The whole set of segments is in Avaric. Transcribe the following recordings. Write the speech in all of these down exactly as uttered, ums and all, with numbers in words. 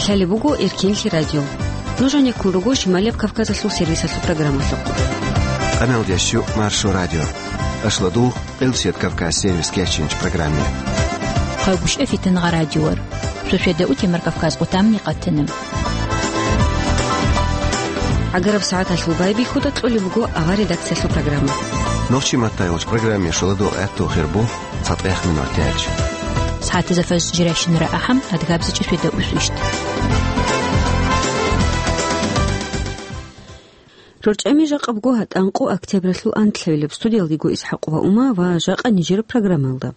Лъалеб буго Эркенлъи радио. Нуж гьанеккун руго Шималияб Кавказалъул сервисалъул программалъухъ. Къаналдящу Маршо радио. Ашладул Къилсият Кавказ сервис кечинч программе. Хъагушев Фитангъа радиор. Шошеда утемар Кавказ утамни къатана. Агараб сагӀаталъул байбихьуда кьолеб буго ава редакциялъул программа. Нохчи маттайолч программе шоладул гӀатту хирбу. ЦатӀехъ минуталъ. СагӀатазда фажр жирайщинара ахӀам, адгабзичӀеб шведа усу ишт. РорчӀами жакъа буго гьатӀанкъо октябралъул анлъабилеб. Студиялдего ИсхӀакъ ва Ума ва жакъа нижер программалда.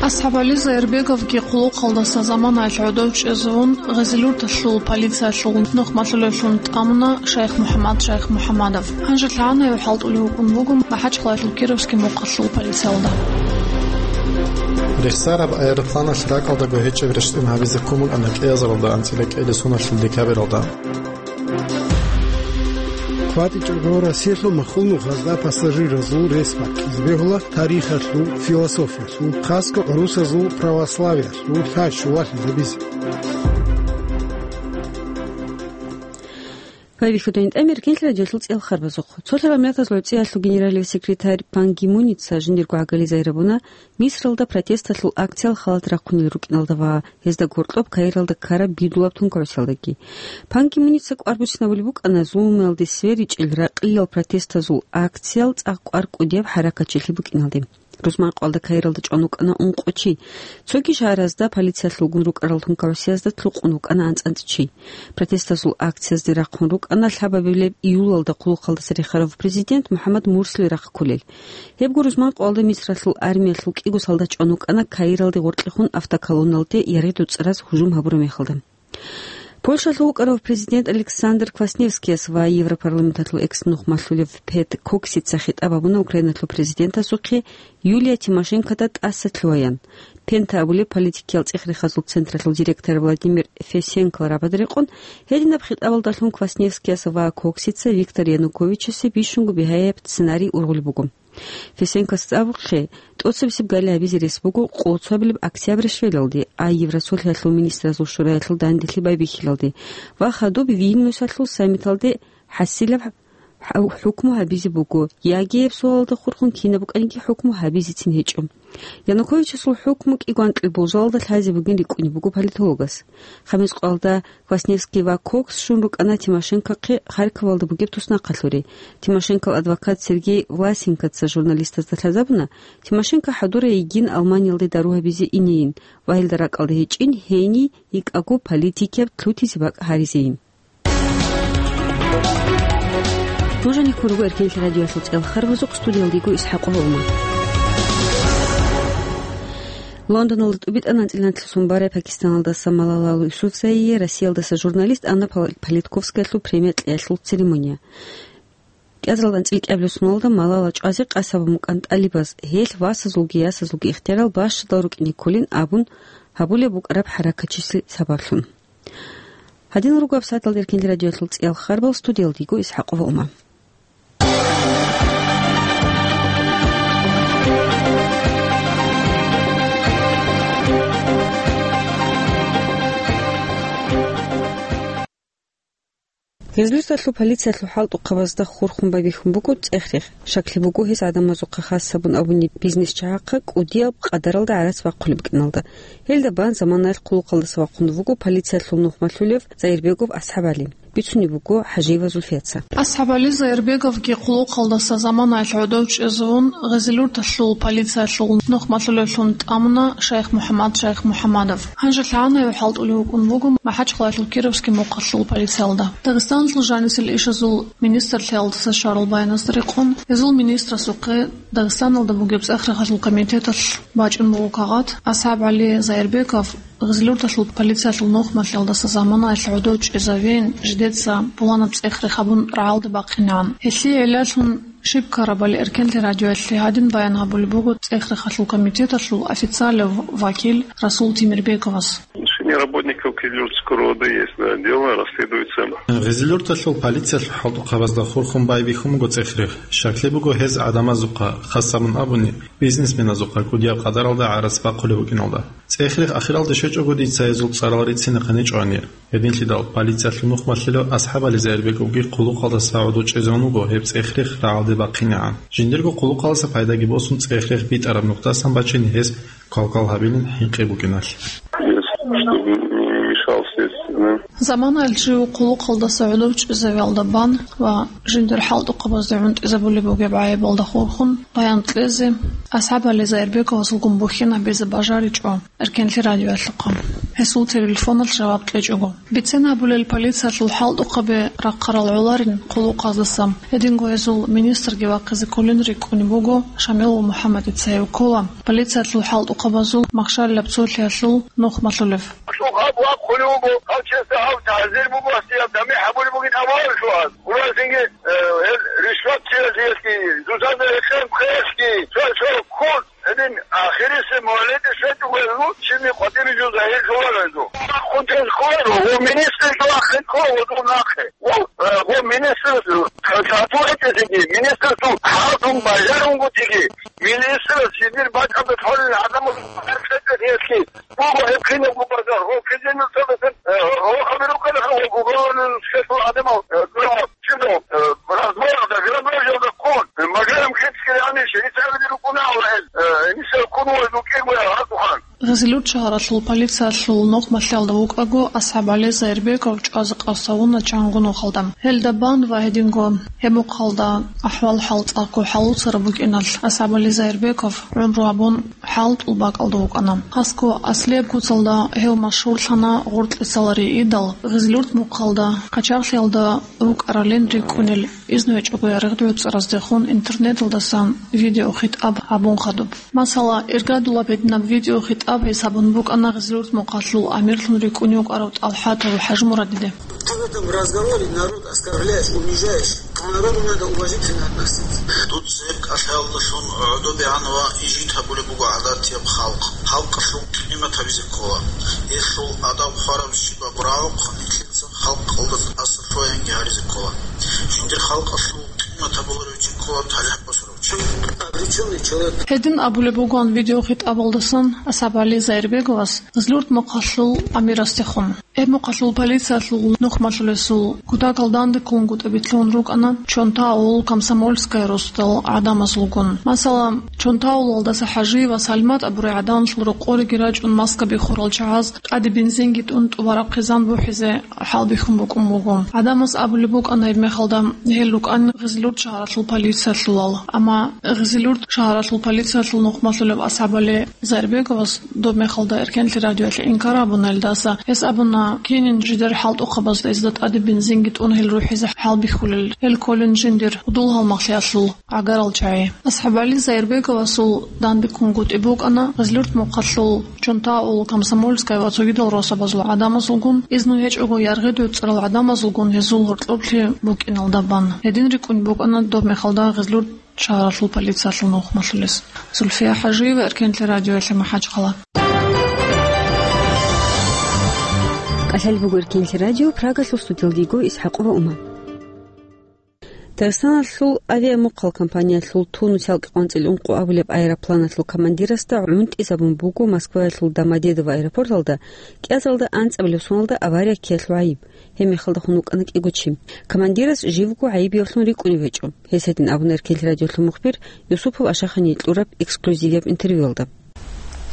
АсхӀаб ГӀали Зайрбековги хъулухъалдаса заманаялъ гӀодов чӀезавун, Гъезилурталъул полициялъул нухмалъулевлъун тӀамуна шайх МухӀаммад шайх МухӀаммадов. Гьанже лъагӀанайо хӀалтӀулев вукӀун вуго МахӀачхъалаялъул Кировский мухъалъул полициялда. Рехсараб аэропланалъ ракӀалдаго гьечӀеб рещтӀин гьабизе ккун букӀана кӀиазаралда анцӀила кӀиабилеб соналъул декабралда. КватӀичӀого Россиялъул махул нухазда пассажиразул рес баккизе бегьула тарихалъул, философиялъул, хасго гӀурусазул православиялъул лъай щулалъизабизе. Байбихьуда гьитӀамир кинлъи радиолъул цӀел харбазухъ. Цолъарал миллатазул гӀебцӀиялъул генералив секретарь Пан Ги Муница жиндирго гӀагали загьирабуна, Мисралда протесталъул акциял халат рахъунел рукӀиналда ва гьезда гьоркьоб Каиралда ккараб бидулаб тункаусиялдаги. Пан Ги Муница кӀвар буцинабулеб букӀана зулмуялде сверичӀел ракьиял протестазул акциял цӀакъ кӀвар кӀудияб хӀаракатчилъи букӀиналде. Рузманкъоялда Каиралда чӀван вукӀана ункъо чи. Цоги шагьаразда полициялъулгун рукӀарал тункаусиязда лъукъун вукӀана анцӀ-анцӀ чи. Протестазул акциязде рахъун рукӀана лъабабилеб июлалда хъулухъалдаса рехарав президент МухӀаммад Мурсили рахъ кколел. Гьебго рузманкъоялда Мисралъул армиялъул кӀиго солдат чӀван вукӀана Каиралде гъоркьехун автоколонналде яргъи доцӀараз гьужум гьабураб мехалда. Польшалъул вукӀарав президент Александр Квасневскияс ва Европарламенталъул экс-нухмалъулев Пет Коксица хитӀаб гьабуна Украиналъул президентасухъе Юлия Тимошенкода тӀаса лъугьаян. Пента абулеб политикиял цӀех-рехазул централъул директор Владимир Фесенкол рабаде рекъон, гьединаб хитӀабалдалъун Квасневскияс ва Коксица Виктор Януковичасе бищунго бигьаяб сценарий ургъулеб буго. Фесенкос абухъе, тӀоцебесеб гали гьабизе рес буго къоло цоабилеб октябрь щвелалде, а Евросолъиялъул министразул шураялъул данделъи байбихьилалде ва хадуб Вильнюсалъул саммиталде хӀасилаб хӀу-, хӀукму гьабизе буго, яги гьеб суалалда хурхун кинаб букӀаниги хӀукму гьабизецин гьечӀо. Януковичасул хӀукму кӀиго анкьил болжалалда лъазе бугин рикӀкӀунеб буго политологас. Хъамис къоялда Квасневский ва Кокс щун рукӀана Тимошенкохъе Харьковалда бугеб туснахъалъуре. Тимошенкол адвокат Сергей Власенкоца журналистазда лъазабуна, Тимошенко хӀадурай йигин Алманиялде дару гьабизе инейин ва гьелда ракӀалда гьечӀин гьениб йикӀаго политикияб лъутизе бакӀ гьаризейин. Нуж гьанеккун руго Эркенлъи радиоялъул цӀел харбазухъ, студиялда йиго ИсхӀакъ Гьолман. Лондоналда тӀубитӀана анцӀила анлъго сун барай Пакистаналдаса Малала Юсуфзайие Россиялдаса журналист Анна Пол-, Политковскаялъул премия кьеялъул церемония. КӀиазаралда анцӀила кӀиабилеб суналда Малала чӀвазе къасабун букӀан тӀалибаз, гьелъ васазулги ясазулги ихтиярал бащадал рукӀине кколин абун гьабулеб букӀараб хӀаракатчилъи сабаблъун. Гьадинал руго гьабсагӀаталда Эркенлъи радиоялъул цӀиял харбал, студиялда йиго ИсхӀакъ Гьолман. Гъезлисалъул полициялъул хӀалтӀухъабазда хурхун байбихьун буго цӀех-рех. Щаклъи буго гьез гӀадамазухъа хас гьабун абуни бизнес чагӀахъа кӀудияб къадаралда гӀарац бахъулеб букӀиналда. Гьелда бан заманаялъ хъулухъалдаса вахъун вуго полициялъул нухмалъулев Зайирбегов АсхӀаб ГӀали. Бицунеб буго ХӀажиева Зульфияца. АсхӀаб ГӀали Зайирбеговги хъулухъалдаса заманаялъ гӀодов чӀезавун, Гъезилурталъул полициялъул нухмалъулевлъун тӀамуна шайх МухӀаммад шайх МухӀаммадов. Гьанже лъагӀанайо хӀалтӀулев вукӀун вуго МахӀачхъалаялъул Кировский мухъалъул полициялда. Дагъистаналъул жанисел ишазул министрлъиялдаса щварал баяназда рекъон, гьезул министрасухъе Дагъистаналда бугеб цӀех-рехалъул комитеталъ бачӀун буго кагъат, АсхӀаб ГӀали Зайирбеков Гъизлурталъул полициялъул нухмалъиялдаса заманаялъ гӀодов чӀезавейин, жидеца пуланаб цӀех-рех гьабун рагӀалде бахъинегӀан. Гьелъие гӀиллалъун щиб ккарабали Эркенлъи радиоялъе гьадин баян гьабулеб буго цӀех-рехалъул комитеталъул официалав вакил Расул Темирбековас. Работников Кизилюртского РОВД есть, да, дело расследуется. Гъизилюрталъул полициялъул хӀалтӀухъабазда хурхун байбихьун буго цӀехрихъ. Щаклъи буго гьез гӀадамазухъа, хас абун абуни, бизнесменазухъа кӀудияб къадаралда гӀарац бахъулеб букӀиналда. ЦӀехрихъ ахиралде щвечӀого дица гьезул цӀарал рицинехъин гьечӀо гьанир. Гьединлъидал полициялъул нухмалъулев АсхӀабали Зайирбековги хъулухъалдаса гӀодов чӀезегӀан вуго гьеб цӀехрихъ рагӀалде бахъинегӀан. Жиндирго хъулухъалдаса пайдаги босун цӀехрихъ битӀараб нухдасан бачине гьес квалквал гьабилин хӀинкъи букӀиналъ. Чтобы не мешал следствию, да. Заманаялъ жив хъулухъалдаса гӀодов чӀезавиялда бан ва жиндир хӀалтӀухъабазде гӀунтӀизабулеб бугеб гӀайибалда хурхун баян кьезе АсхӀабали Зайирбековасулгун бухьин гьабизе бажаричӀо Эркенлъи радиоялъухъа, гьесул телефоналъ жаваб кьечӀого. Бицен гьабулел полициялъул хӀалтӀухъаби рахъарал гӀоларин хъулухъаздаса, гьединго гьезул министрги вахъизе кколин рикӀкӀунеб буго Шамилов МухӀаммадица, гьев ккола полициялъул хӀалтӀухъабазул махщалилаб цолъиялъул нухмалъулев. Цо гьаб вахъулев вуго, гьав чиясда гьав тагӀзир буго, гьасие гьаб тамихӀ гьабулеб бугин абуаралъугьаз. Гурасинги, э, гьел ришват чиясеялъги, зузазе рекъон хъеялъги, цо-цо ккун. Гьедин ахирисеб мугьлеталъ щвечӀого гьезул, чини къватӀире жо загьирлъуларо гьезул. Хъунтез кколаро, гъо министралъул ахир ккола гъодул нахъе. Гъо, э, гъо министралъул, э, тату гьечӀелъиги, министралъул хӀалтӀун бажарунгутиги, министрас жиндир бакӀалда лъолел гӀадамал гьаркьетӀе гьелъги, буго гьеб кинабго бажар, гъо кизенил цадасан, э, гъо абирукъана гъо гугъаланил школалъул гӀадамал, э, гуро. Чидо, э, разборах да, грабежал да ккун, э, магарам хецкили ани шерицараби рукӀуна Аллагьил, э, нисал ккун вай дукӀин вай гьадухан. Гъизилюрт шагьаралъул полициялъул нухмалъиялда вукӀаго, АсхӀабали Зайирбеков чӀвазе къасавуна чанго нухалда. Гьелда бан ва гьединго гьеб мухъалда ахӀвал-хӀал цӀакъго хӀалуцараб букӀиналъ, АсхӀабали Зайирбеков гӀумру гьабун, хӀалтӀул бакӀалда вукӀана. Хасго аслияб куцалда гьев машгьурлъана гъоркьисалари идал, Гъизлюрт мухъалда, къачагълъиялда рукӀаралин рикӀкӀунел, изну гьечӀого яргъи-гӀуцӀараздехун интернеталдасан видеохитӀаб гьабун хадуб. Масала, иргадулаб гьединаб видеохитӀаб гьесабун букӀана Гъизлюрт мухъалъул амирлъун рикӀкӀунев вукӀарав ТӀалхӀатов ХӀажмурадиде. Ты в этом разговоре народ оскорбляешь, унижаешь. К народу надо уважительно относиться. Дуца гьеб кӀалъаялдалъун гӀодобегӀан ва ижит гьабулеб буго гӀадатияб халкъ. Халкъалъул къимат гьабизе ккола. Гьелъул адаб хварабщинаб рагӀухъ нилъеца халкъалда тӀаса лъугӀаянги гьаризе ккола. Жиндир халкъалъул къимат гьабуларев чи ккола талихӀ босарав чи. Обречённый человек. Гьедин абулеб бугоан видеохитӀабалдасан АсхӀабали Зайирбеговас Гъизлюрт мухъалъул амирасдехун. Гьеб мухъалъул полициялъул нухмалъулесул кутакал дандеккунгутӀи битӀун рукӀана Чонтаул, Комсомольская росдал гӀадамазулгун. Масала, Чонтаулалдаса ХӀажи ва Салмат абурай гӀадамазул рокъориги рачӀун маска биххурал чагӀаз тӀаде бензинги тӀун тӀубараб хъизан бухӀизе хӀалбихьун букӀун буго. ГӀадамаз абулеб букӀана гьебмехалда гьел рукӀан Гъизлюрт шагьаралъул полициялъулал. Амма Гъизлюрт шагьаралъул полициялъул нухмалъулев АсхӀабали Зайирбеговас доб мехалда Эркенлъи радиоялъе инкар абуна илдаса. Гьес абуна, кинин жидер хӀалтӀухъабазда изда тӀаде бензинги тӀун гьел рухӀизе хӀалбихьулел, гьел кколин жиндир гьудул-гьалмагълъиялъул гӀагарал чагӀи. АсхӀабали Зайирбеговасул дандеккунгутӀи букӀана Гъизлюрт мухъалъул Чонтаул, Комсомольская ва цогидал росабазул гӀадамазулгун, изну гьечӀого яргъи-дуцӀарал гӀадамазулгун гьезул гьоркьоблъи букӀиналда бан. Гьедин рикӀкӀун букӀана доб мехалда Гъизлюрт шагьаралъул полициялъул нухмалъулес. Зульфия ХӀажиева, Эркенлъи радиоялъе, МахӀачхъала. КӀалъалеб буго Эркенлъи радио, Прагалъул студиялдего Исхьакъова Ума. Дагъистаналъул авиамухъал компаниялъул Тунус-ялкъи къванцӀил ункъо абулеб аэропланалъул командирасда гӀунтӀизабун буго Москваялъул Домодедово аэропорталда кӀиазаралда анцӀабилеб соналда авария ккеялъул гӀайиб. Гьеб мехалда хун вукӀана кӀиго чи. Командирас живго гӀайибиявлъун рикӀкӀунев гьечӀо. Гьес гьедин абуна Эркенлъи радиолъул мухбир Юсупов Ашахани кьураб эксклюзивияб интервьюялда.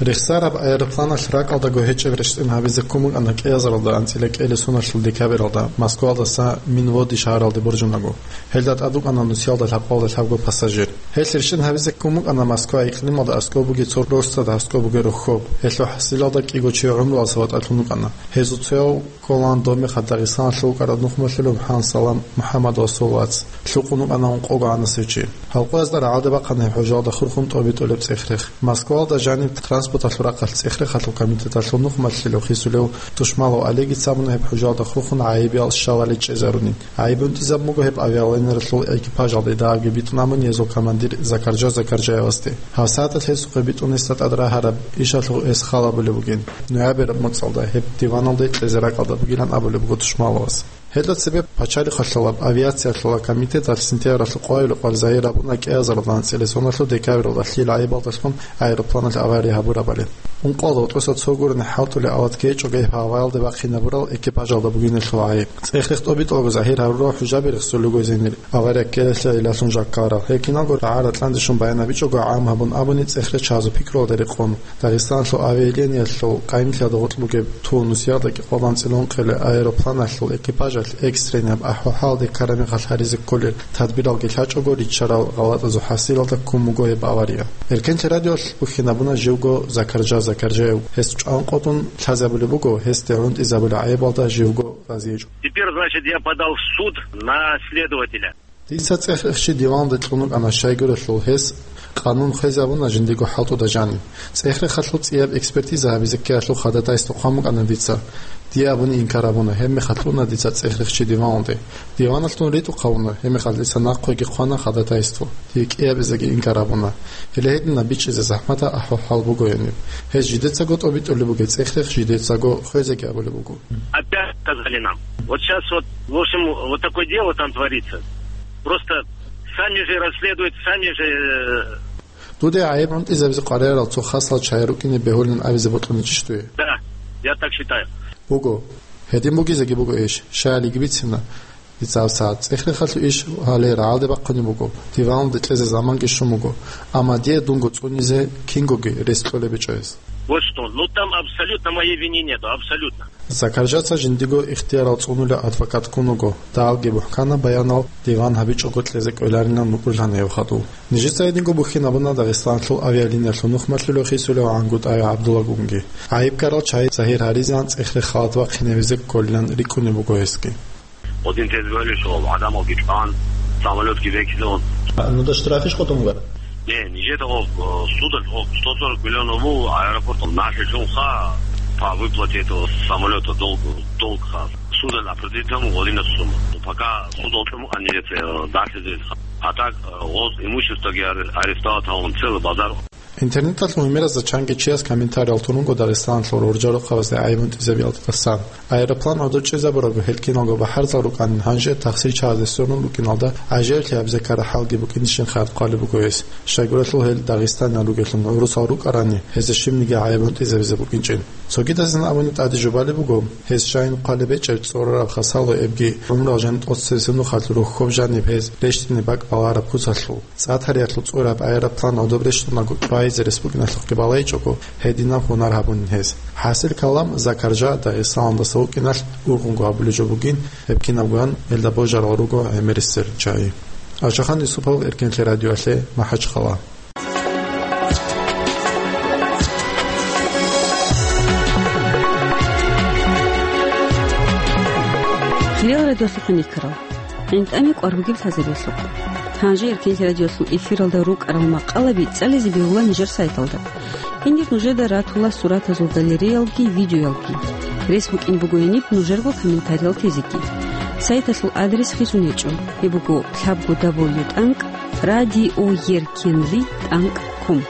Рехсараб аэропланалъ ракӀалдаго гьечӀеб рещтӀин гьабизе ккун букӀана кӀиазаралда анцӀила кӀиабилеб соналъул декабралда Москваялдаса Минводи шагьаралде боржунаго. Гьелда тӀад вукӀана нусиялда лъабкъоялда лъабго пассажир. Гьелъ рещтӀин гьабизе ккун букӀана Москва икълималда аскӀоб бугеб цо росдада аскӀоб бугеб рохьоб. Гьелъул хӀасилалда кӀиго чи гӀумруялдаса ватӀалъун вукӀана. Гьезул цояв кколаан доб мехалъ Дагъистаналъув вукӀарав нухмалъулев ХӀансалам МухӀаммад Расул вац. Лъукъун вукӀана ункъого гӀанасев чи. Гьалкъоязда рагӀалде бахъана гьеб гьоркьоб хурхун тӀобитӀулеб цӀех-рех. Москваялда жаниб транс- Транспорталъул рахъалъ цӀех-рехалъул комитеталъул нухмалъилев хисулев Тушмалов Олегица абуна гьеб хӀужалда хурхун гӀайибал щалали чӀезарунин. ГӀайиб унтӀизабун буго гьеб авиалайнералъул экипажалде дагьабги битӀун абун гьезул командир Закаржа Закаржаевасде. Гьав сагӀаталъ гьесухъе битӀун гьесда тӀад рагьараб ишалъул гьес хал абулеб бугин. Ноябрь моцӀалда гьеб диваналде кьезе ракӀалда бугилан абулеб буго Тушмаловас. Гьелда цебе пачалихъалъулаб авиациялъула комитеталъ сентябралъул къоялъул къварзайи рабуна кӀиазаралда анцӀила соналъул декабралда лъил гӀайибалдалъун аэропланалъ авария гьабурабали. Ункъоялда гьоркьоса цо гурони хӀалтӀулел ават ккечӀого гьеб гьаваялде бахъинабурал экипажалда бугиналъул гӀайиб. ЦӀех-рех тӀобитӀулаго загьир гьарурал хӀужаби рехсолел ругони, авария ккелалъе илалъун жаккарал. Гьеб киналго рагӀа-ратӀланде щун баян гьабичӀого гӀам гьабун абуни цӀех-рех чагӀазул пикруялда рекъон. Дагъистаналъул авиалиниялъул къайимлъиялда гъоркь бугеб Тунусиялда кӀикъоялда анцӀила ункъелел аэропланалъул экипажалъ экстренаб ахӀвал-хӀалалде ккараб мехалъ гьаризе кколел тадбиралги лъачӀого риччарал гъалатӀазул хӀасилалда ккун буго гьеб авария. Эркенлъи радиоялъ бухьинабуна живго Закаржа Закаржаев. Гьес чӀван къотӀун лъазабулеб буго, гьесде гӀунтӀизабулеб гӀайибалда живго разиичӀо. Теперь, значит, я подал в суд на следователя. Дица цӀех-рехчи диваналде кьун вукӀана, щайгурелъул гьес къанун хвезабуна жиндиего хӀалтӀуда жаниб. ЦӀех-рехалъул цӀияб экспертиза гьабизе ккеялъул ходатайство хъван букӀана дица. Дие абуни инкар гьабуна, гьебмехалъ уна дица цӀех-рехчи диваналде. Диваналъун ритӀухъ гьавуна, гьебмехалъ дица нахъеги хъвана ходатайство. Дие кӀиабизеги инкар гьабуна. Гьеле гьединаб бичӀчӀизе захӀматаб ахӀвал-хӀал буго гьениб. Гьез жидецаго тӀобитӀулеб бугеб цӀех-рех жидецаго хвезеги абулеб буго. Опять сказали нам. Вот щас вот, в общем, вот такое дело там творится. Просто сами же расследуют, сами же, э, Дуде гӀайиб гӀунтӀизабизе къваригӀарал цо хасал чагӀи рукӀине бегьулин абизе бокьуничӀищ дуе? Да, я так считаю. Буго. Гьедин бугизеги буго иш. Щай гьалиги бицина. Дица гьаб сагӀат цӀех-рехалъул иш гьале рагӀалде бахъунеб буго, диваналде кьезе заманги щун буго, амма дие дунго цӀунизе кингоги рес кьолеб гьечӀо гьес. Вот что. Ну, там абсолютно моей вины нету, абсолютно. Закаржаца жиндиего ихтиярал цӀунулев адвокат ккун вуго, дагьалги мухӀканаб баянал диван гьабичӀого кьезе кӀоларилан букӀурлъана гьев хадув. Нижеца гьединго бухьинабуна Дагъистаналъул авиалиниялъул нухмалъулев хисулев ГӀангутӀаев ГӀабдуллагунги. ГӀайиб ккарал чагӀи загьир гьаризеян цӀех-рехалда бахъинабизе кколилан рикӀкӀунеб буго гьесги. Один тест валишо, адамалги чӀван, самолетги векилун. А, ну да штрафиш къотӀун бугара? Не, нижеда гъоб, э, судалъ гъоб сто сорок миллион гъоб аэропорт налъилъунха по выплате этого самолета долг, долг ха. Судалъ определить гьабун гъодинаб сумма. Ну, пока суд гьоркьоб букӀана нижеца, э, далъизе. А так, э, гъоз имуществоги аре-, арестовать гьабун, целый базар. Интернеталъ гьумеразда чанги чияс комментариял турунго Дагъистаналъул гӀуржа-рохъабазде гӀайиб унтӀизабиялдасан. Аэроплан гӀодор чӀезабурабго гьел киналго бахӀарзал рукӀанин, гьанже тахсир чагӀазе сверун букӀиналда гӀажаиблъи гьабизе ккараб хӀалги букӀинищин хабар хъвалеб буго гьес. Щайгурелъул гьел Дагъистанал ругелъул гӀурусал рукӀарани, гьезда щибниги гӀайиб унтӀизабизе букӀинчӀин. Цогидазин абуни тӀаде жубалеб буго, гьес жайин хъвалеб гьечӀеб цӀорораб хасало эбги гӀумрал жаниб тӀоцебесеб нухалъ рухьоб жаниб гьез рещтӀине бакӀ балараб куцалъул. ЦӀатариялъул цӀураб аэроплан гӀодоб рещтӀунаго чӀвайзе рес букӀиналъухъги балайчӀого, гьединаб гьунар гьабунин гьез. ХӀасил калам, Закаржа Дагъистаналдаса вукӀиналъ ургъунго гьабулеб жо бугин, гьеб кинабгоян гьелда божарал руго гӀемерисел чагӀи. Ашахан Юсупов, Эркенлъи радиоялъе, МахӀачхъала. Хириял радиолъухъ хӀинкъарал. ГӀинтӀаме кӀвар бугеб лъазабиялъухъ. Гьанже Эркенлъи радиолъул эфиралда рукӀарал макъалаби цӀализе бегьула нижер сайталда. Гьенир нужеда ратула суратазул галереялги, видеоялги. Рес букӀин буго гьениб нужерго комментариял тезеги. Сайталъул адрес хисун гьечӀо. Гьеб буго лъабго дабл ю тӀанкӀ радиоеркенлъи тӀанкӀ ком.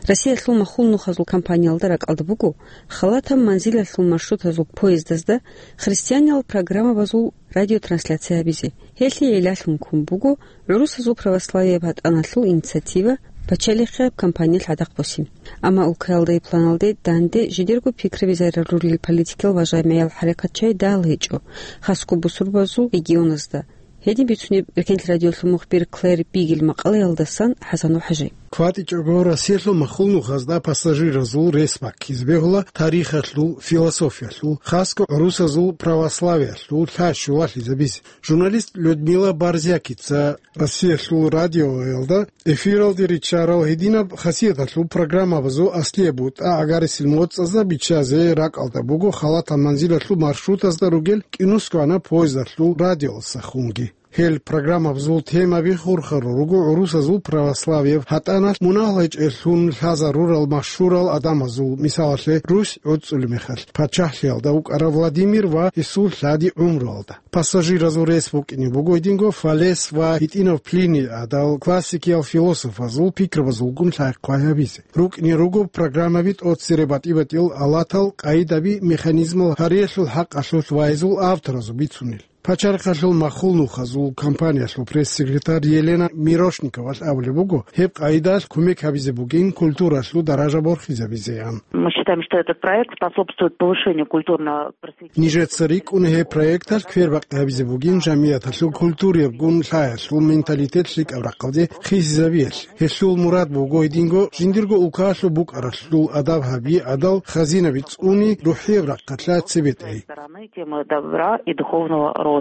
Россиялъул махул нухазул компаниялда ракӀалда буго халатаб манзилалъул маршрутазул поездазда христианиял программабазул радиотрансляция гьабизе. Гьелъие гӀиллалъун ккун буго гӀурусазул православияб гьатӀаналъул инициатива пачалихъияб кампаниялъ гӀадахъ босин. Амма улкаялда гьеб планалде данде жидерго пикраби зарарулел политикиял ва жамигӀиял хӀаракатчагӀи дагьал гьечӀо, хасго бусурбабазул регионазда. Гьедин бицунеб Эркенлъи радиолъул мухбир Клэр Бигел макъалаялдасан ХӀасан ва ХӀажи. КватӀичӀого Россиялъул махул нухазда пассажиразул рес баккизе бегьула тарихалъул, философиялъул, хасго гӀурусазул православиялъул лъай-щулалъизабизе. Журналист Людмила Борзякица Россиялъул радиоялда эфиралде риччарал гьединаб хасияталъул программабазул аслияб бутӀа гӀагарисел моцӀазда биччазе ракӀалда буго халатаб манзилалъул маршрутазда ругел кӀинусгоана поездалъул радиоялдасахунги. Гьел программабазул темаби хурхарал руго гӀурусазул православияб гьатӀаналъ мунагьал гьечӀеллъун лъазарурал машгьурал гӀадамазул, мисалалъе, Русь гӀуцӀулеб мехалъ, пачагьлъиялда вукӀарав Владимир ва гьесул лъади гӀумруялда. Пассажиразул рес букӀине буго гьединго Фалес ва гьитӀинав Плиний гӀадал классикиял философазул пикрабазулгун лъай-хъвай гьабизе. РукӀине руго программаби тӀоцере батӀи-батӀиял алатал, къайдаби, механизмал гьариялъул хӀакъалъулъ вайзул авторазул бицунел. Пачалихъалъул махул нухазул компаниялъул пресс-секретарь Елена Мирошниковалъ абулеб буго, гьеб къайдалъ кумек гьабизе бугин культуралъул даража борхизабизеян. Мы считаем, что этот проект способствует повышению культурного просвещения. Нижеца рикӀкӀуна гьеб проекталъ квербакъи гьабизе бугин жамияталъул культураябгун лъаялъул менталитет лъикӀаб рахъалде хисизабиялъе. Гьелъул мурад буго гьединго жиндирго улкаялъул букӀаралъул адаб гьаби, гӀадал хазинаби цӀуни, рухӀияб рахъалъа цебетӀей. Стороны темы добра и духовного роста.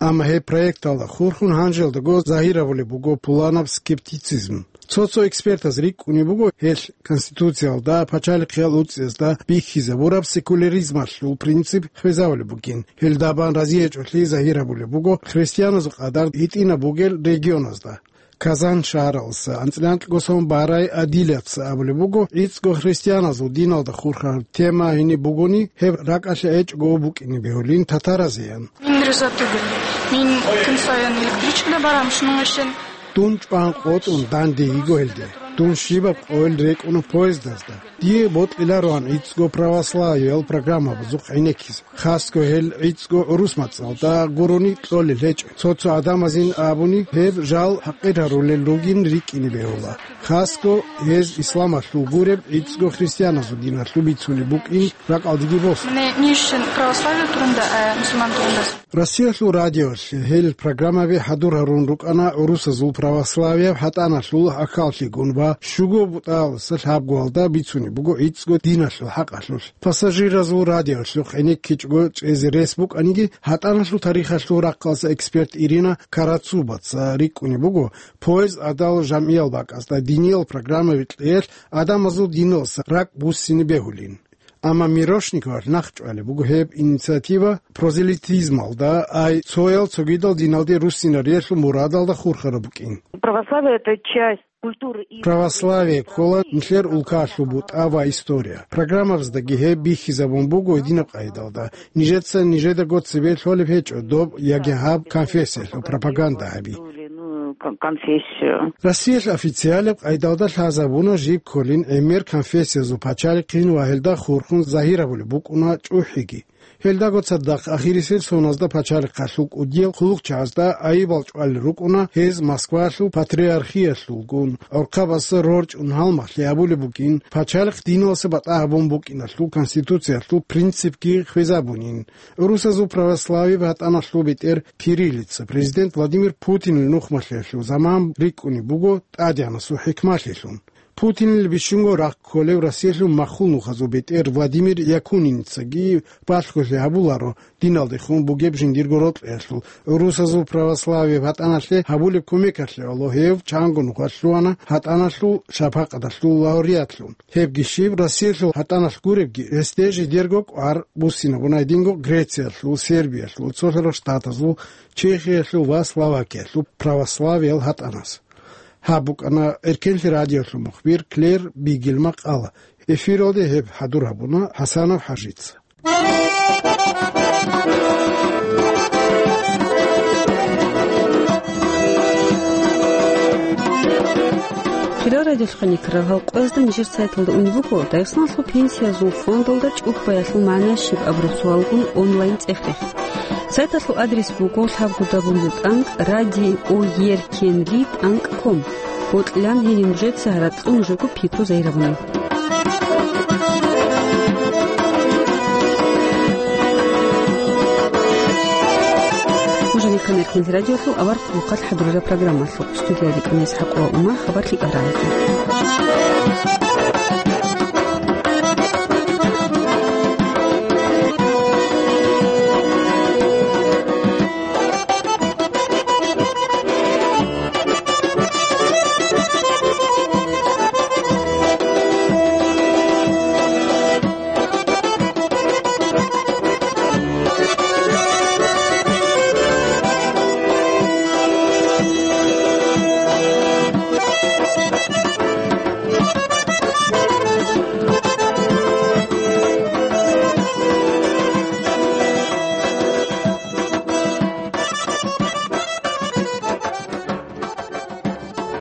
Амма гьеб проекталда хурхун гьанжелдаго загьир гьабулеб буго пуланаб скептицизм. Цо-цо экспертаз рикӀкӀунеб буго, гьелъ Конституциялда, пачалихъиял уцӀцӀиязда бихьизабураб секуляризмалъул принцип хвезабулеб бугин. Гьелда бан разиячӀолъи загьир гьабулеб буго христианазул къадар гьитӀинаб бугел регионазда. Казан шагьаралдаса анцӀила анкьго сон Барай Адилица абулеб буго, гӀицӀго христианазул диналда хурхараб тема гьениб бугони, гьеб ракӀалъе гьечӀого букӀине бегьулин татаразеян. Мин риза тугел. Мин кин сайин электричкаялда барам шунунгашин. Дун чӀван къотӀун данде йиго гьелде. Дун щибаб къойил рекӀуна поездазда. Дие бокьилароан гӀицӀго православиял программабазухъ гӀенеккизе. Хасго гьел гӀицӀго гӀурус мацӀалда гурони кьолел гьечӀо. Цо-цо гӀадамазин абуни, гьеб жал хӀакъир гьарулел ругин рикӀкӀине бегьула. Хасго гьез исламалъул гуреб гӀицӀго христианазул диналъул бицунеб букӀин ракӀалдеги босун. Мне не очень православие турунда, а мусульман турунда. Россиялъул радиоялъе гьел программаби хӀадур гьарун рукӀана гӀурусазул православияб гьатӀаналъул ахӀаллъигун ва щуго бутӀаялдаса лъабгоялда бицунеб буго гӀицӀго диналъул хӀакъалъулъ. Пассажиразул радиоялъухъ гӀенеккичӀого чӀезе рес букӀаниги, гьатӀаналъул тарихалъул рахъалъа эксперт Ирина Карацубаца рикӀкӀунеб буго, поезд гӀадал жамгӀиял бакӀазда диниял программаби кьеялъ гӀадамазул диналдаса ракӀ буссине бегьулин. Амма Мирошниковалъ нахъчӀвалеб буго гьеб инициатива прозелитизмалда, ай цоял цогидал диналде руссинариялъул мурадалда хурхараб букӀин. Православие — это часть культуры и... Православие ккола нилъер улкалъул бутӀа ва история. Программабаздаги гьеб бихьизабун буго гьединаб къайдалда. Нижеца нижедаго цебе лъолеб гьечӀо доб яги гьаб конфессиялъул пропаганда гьаби. Ну, кон-, конфессию. Россиялъ официалаб къайдалда лъазабуна жиб кколин гӀемер конфессиязул пачалихъин ва гьелда хурхун загьир гьабулеб букӀуна чӀухӀиги. Гьелдаго цадахъ ахирисел соназда пачалихъалъул кӀудиял хъулухъчагӀазда айибал чӀвалел рукӀуна гьез Москвалъул патриархиялъулгун, гӀорхъабазда рорчӀун гьалмагълъи гьабулеб букӀин, пачалихъ диналдаса батӀа гьабун букӀиналъул конституциялъул принципги хвезабунин. ГӀурусазул православияб гьатӀаналъул бетӀер кириллица президент Владимир Путинил нухмалъиялъул заман рикӀкӀунеб буго тӀадегӀанасул хӀикмалъилъун. Путинил бищунго рахъ кколев Россиялъул махул нухазул бетӀер Владимир Якунинцаги балъголъи гьабуларо диналдехун бугеб жиндирго рокьиялъул, гӀурусазул православияб гьатӀаналъе гьабулеб кумекалъе гӀоло гьев чанго нуха лъугьана гьатӀаналъул шапакъаталъул лауреатлъун. Гьебги щиб, Россиялъул гьатӀаналъ гуребги, гьесде жидерго кӀвар буссинабуна гьединго Грециялъул, Сербиялъул, Цолъарал Штатазул, Чехиялъул ва Словакиялъул православиял гьатӀаназ. Гьаб букӀана Эркенлъи радиоялъул мухбир Клэр Бигель макъала. Эфиралде гьеб хӀадур гьабуна ХӀасанов ХӀажица. Хирал радиолъухъ хъаниккарал гьал къоязда нижер сайталда унеб буго Дагъистаналъул пенсиязул фондалда чӀухӀбаялъул магӀна щиб абураб суалгун онлайн цӀех-рех. Сайталъул адрес буго лъабго дабл ю тӀанкӀ радио еркенлъи тӀанкӀ ком. Бокьилаан гьениб нужеца гьаракь цӀун нужего пикру загьир гьабуна. Нуж гьанихъа Эркенлъи радиолъул авар хъулухъалъ хӀадурараб программалъухъ. Студияда рукӀана ИсхӀакъова Ума, хабар лъикӀаб рагӀалде.